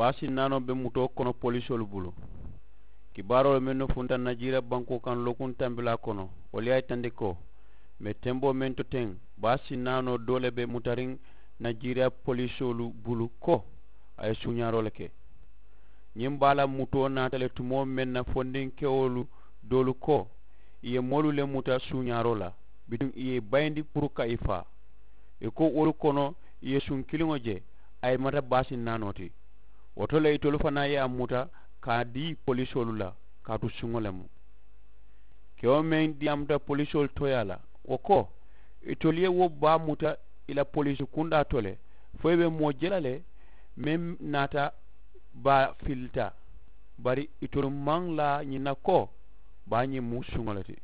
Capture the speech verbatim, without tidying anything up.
Baa sinnaanoo be mutoo kono polisoolu bulu. Kibaaroolu mennu funta najiira bankoo kaŋ lookuŋ tambilaa kono, wolu ye a yitandi ko mee temboo meŋ to teŋ, baa sinnaanoo doo le be mutariŋ najiira polisoolu bulu ko a ye suuñaaroo le ke. Ñiŋ baa la mutoo naata le tumoo meŋ na fondinkewolu doolu ko ì ye moolu le muta suuñaaroo la, bituŋ ì ye ì bayindi puru ka ì faa. Ì ko wolu kono ì ye suŋ kiliŋo je, a ye mata baa sinnaanoo ti. Wo to le itolu fanaa ye a muta ka a dii polisoolu la, kaatu suŋo le mu. Kewo meŋ diyaamuta polisoolu tooyaa la, wo ko, itolu ye wo baa muta ì la poliisi kundaa to le, fo ì be moo je la le meŋ naata baa filita. Bari itolu maŋ laa ñiŋ na ko baa ñiŋ mu suŋo le ti.